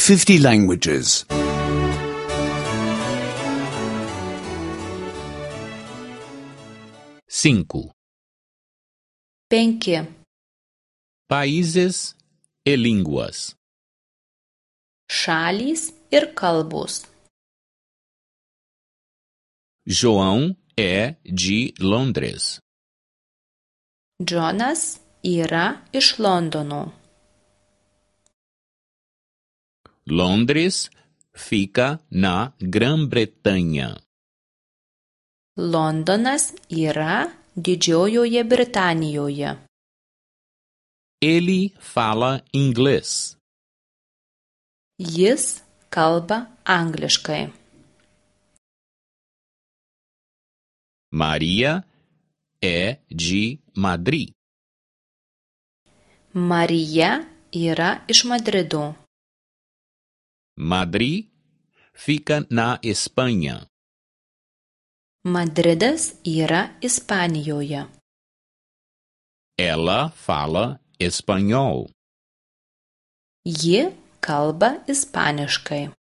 50 languages. 5. 5. Países e línguas. Šalys ir kalbos. João é de Londres. Džonas yra iš Londono. Londres fica na Grã-Bretanha. Londonas yra Didžiojoje Britanijoje. Ele fala inglês. Jis kalba angliškai. Maria é de Madrid. Marija yra iš Madrido. Madrid fica na Espanha. Madridas yra Ispanijoje. Ela fala espanhol. Ji kalba ispaniškai.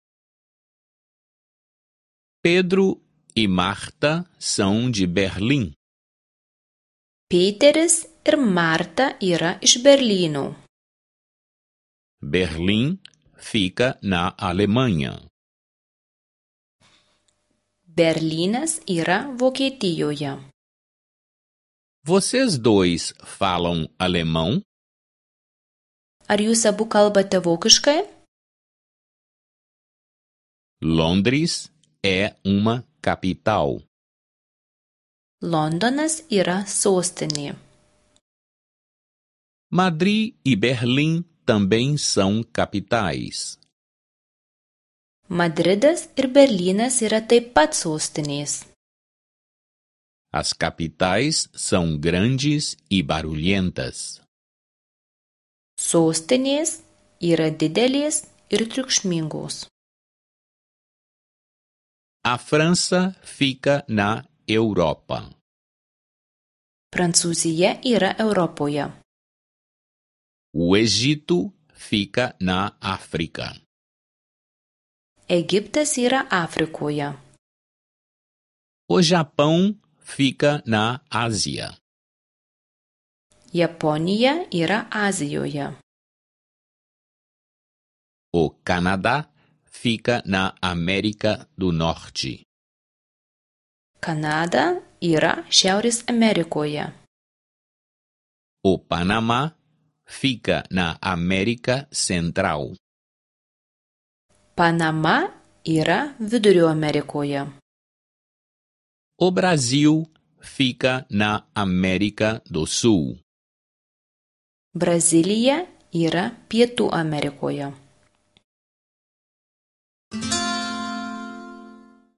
Pedro e Marta são de Berlim. Peteris ir Marta yra iš Berlyno. Berlim fica na Alemanha. Berlynas yra Vokietijoje. Vocês dois falam alemão? Ar jūs abu kalbate vokiškai? Londres é uma capital. Londonas yra sostinė. Madrid e Berlim também são capitais. Madridas ir Berlynas yra taip pat sostinės. As capitais são grandes e barulhentas. Sostinės yra didelės ir triukšmingos. A França fica na Europa. Prancūzija yra Europoje. O Egito fica na África. Egiptas yra Afrikoje. O Japão fica na Ásia. Japonija yra Azijoje. O Canadá fica na América do Norte. Kanada yra Šiaurės Amerikoje. O Panamá fica na América Central. Panama yra Vidurio Amerikoje. O Brasil fica na América do Sul. Brazilija yra Pietų Amerikoje.